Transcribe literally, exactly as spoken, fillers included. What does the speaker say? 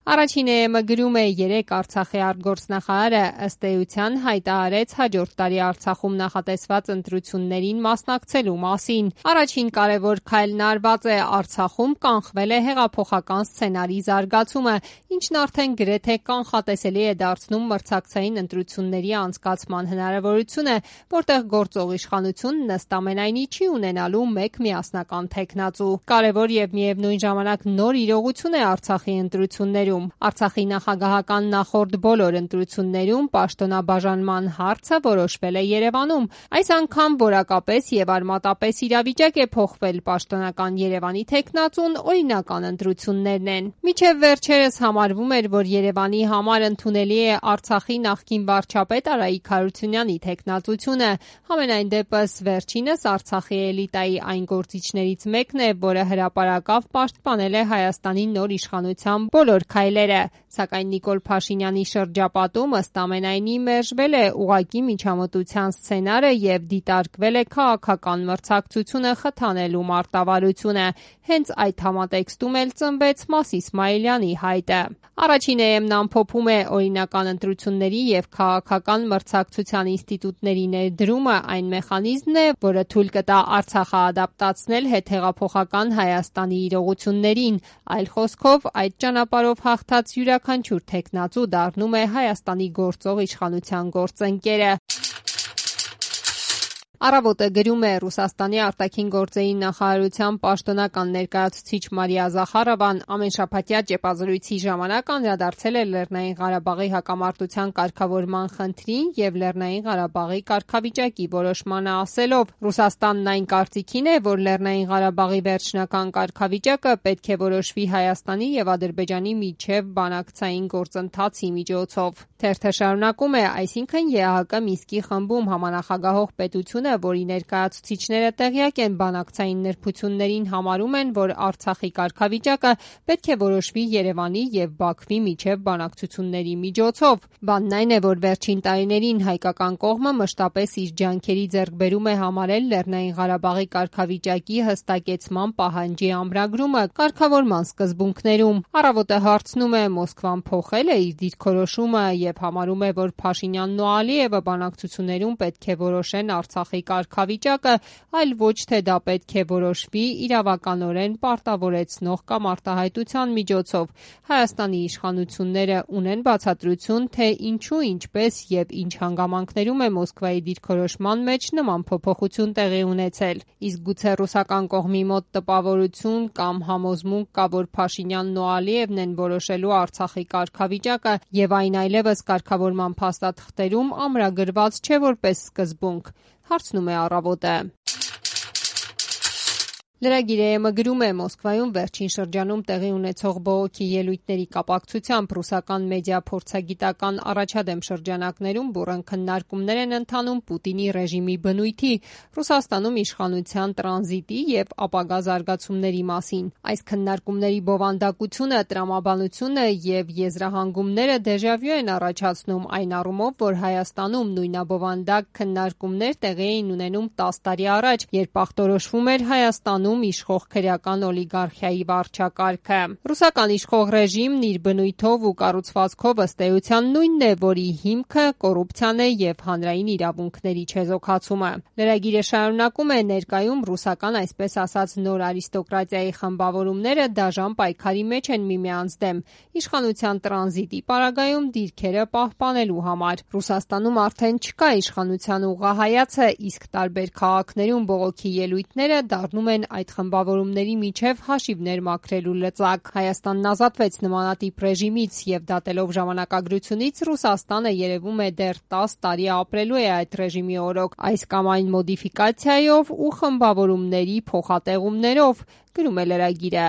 Առաջին էը գրում է երեք Արցախի արտգործնախարարը ըստ էության հայտարարեց հաջորդ տարի Արցախում նախատեսված ընտրություններին մասնակցելու մասին։ Առաջին կարևոր քայլն արված է Արցախում կանխվել է հեղափոխական սցենարի զարգացումը, ինչն արդեն գրեթե կանխատեսելի է դարձնում մրցակցային ընտրությունների անցկացման հնարավորությունը, որտեղ գործող իշխանությունն ըստ ամենայնի չի ունենալու մեկ միասնական թեկնածու։ Կարևոր եւ միևնույն ժամանակ նոր իրողություն է Արցախի ընտրություններում։ Արցախի նախագահական նախորդ բոլոր ընտրություններում պաշտոնաբաժանման հարցը որոշվել է Երևանում։ Այս անգամ որակապես եւ արմատապես իրավիճակ է փոխվել, պաշտոնական Երևանի թեկնածուն օրինական ընտրություններն են։ Մինչև վերջերս համարվում էր, որ Երևանի համար ընդունելի է Արցախի նախկին վարչապետ Արայիկ Հարությունյանի թեկնածությունը։ Համենայն դեպս վերջինս Արցախի էլիտայի այն գործիչներից մեկն է, որը հրապարակավ պաշտպանել է Հայաստանի նոր իշխանության բոլոր քայլերը, սակայն Նիկոլ Փաշինյանի շրջապատում ըստ ամենայնի մերժվել է ուղղակի միջամտության սցենարը եւ դիտարկվել է քաղաքական մրցակցությունը խթանելու մարտավարությունը։ Հենց այդ համատեքստում էլ ծնվեց Մաս Իսմայելյանի հայտը։ Առաջին էեմն ամփոփում է օրինական ընտրությունների եւ քաղաքական մրցակցության ինստիտուտների ներդրումը այն մեխանիզմն է, որը թույլ կտա Արցախը ադապտացնել հետհեղափոխական Հայաստանի իրողություններին։ Այլ խոսքով, այդ ճանապարհով հաղթած յուրաքանչյուր թեկնածու դառնում է Հայաստանի գործող իշխանության գործընկերը։ Առավոտը գրում է Ռուսաստանի արտաքին գործերի նախարարության պաշտոնական ներկայացուցիչ Մարիա Զախարովան ամենշաբաթյա ճեպազրույցի ժամանակ անդրադարձել է Լեռնային Ղարաբաղի հակամարտության կարգավորման խնդրին եւ Լեռնային Ղարաբաղի կարգավիճակի որոշմանը, ասելով. «Ռուսաստանն այն կարծիքին է, որ Լեռնային Ղարաբաղի վերջնական կարգավիճակը պետք է որոշվի Հայաստանի եւ Ադրբեջանի միջև բանակցային գործընթացի միջոցով»։ Թերթը շարունակում է. «Այսինքն ԵԱՀԿ Մինսկի խմբում համանախագահող պետությունը, որի ներկայացուցիչները տեղյակ են բանակցային նրբություններին, համարում են, որ Արցախի կարգավիճակը պետք է որոշվի Երևանի եւ Բաքվի միջև բանակցությունների միջոցով։ Բանն այն է, որ վերջին տարիներին հայկական կողմը մշտապես իր ջանքերի ձեռքբերում է համարել Լեռնային Ղարաբաղի կարգավիճակի հստակեցման պահանջի ամրագրումը կարգավորման սկզբունքներում»։ Առավոտը հարցնում է. «Մոսկվան փոխել է իր դիրքորոշումը եւ համարում է, որ Փաշինյանն ու Ալիևը բանակցություններում պետք է որոշեն Արցախի կարգավիճակը, այլ ոչ թե դա պետք է որոշվի իրավականորեն պարտավորեցնող կամ արտահայտության միջոցով։ Հայաստանի իշխանությունները ունեն բացատրություն, թե ինչու, ինչպես եւ ինչ հանգամանքներում է Մոսկվայի դիրքորոշման մեջ նման փոփոխություն տեղի ունեցել։ Իսկ գուցե ռուսական կողմի մոտ տպավորություն կամ համոզմունք կա, որ Փաշինյանն ու Ալիևն են որոշելու Արցախի կարգավիճակը եւ այն այլեւս կարգավորման փաստաթղթերում ամրագրված չէ որպես սկզբունք», հարցնում է Առավոտը։ Լրագիր.am գրում է. «Մոսկվայում վերջին շրջանում տեղի ունեցող բողոքի ելույթների կապակցությամբ ռուսական մեդիա փորձագիտական առաջադեմ շրջանակներում բուռն քննարկումներ են ընթանում Պուտինի ռեժիմի բնույթի, Ռուսաստանում իշխանության տրանզիտի եւ ապագա զարգացումների մասին։ Այս քննարկումների բովանդակությունը, տրամաբանությունը եւ եզրահանգումները դեժավյու են առաջացնում այն առումով, որ Հայաստանում նույնաբովանդակ քննարկումներ տեղի էին ունենում տասը տարի առաջ, երբ ախտորոշվում էր Հայաստանում իշխող քրեական օլիգարխիայի վարչակարգը։ Ռուսական իշխող ռեժիմն իր բնույթով ու կառուցվածքով ըստ էության նույնն է, որի հիմքը կոռուպցիան է եւ հանրային իրավունքների չեզոքացումը»։ Լրագիրը շարունակում է. «Ներկայում ռուսական, այսպես ասած, նոր արիստոկրատիայի խմբավորումները դաժան պայքարի մեջ են միմյանց դեմ իշխանության տրանզիտի պարագայում դիրքերը պահպանելու համար։ Ռուսաստանում արդեն չկա իշխանության ուղղահայացը, իսկ տարբեր քաղաքներում բողոքի ելույթները դառնում են այդ խմբավորումների միջև հաշիվներ մաքրելու լծակ։ Հայաստանն ազատվեց նմանատիպ ռեժիմից եւ դատելով ժամանակագրությունից Ռուսաստանը երևում է դեռ տասը տարի ապրելու է այդ ռեժիմի օրոք, այս կամ այն մոդիֆիկացիայով ու խմբավորումների փոխատեղումներով», գրում է լրագիրը։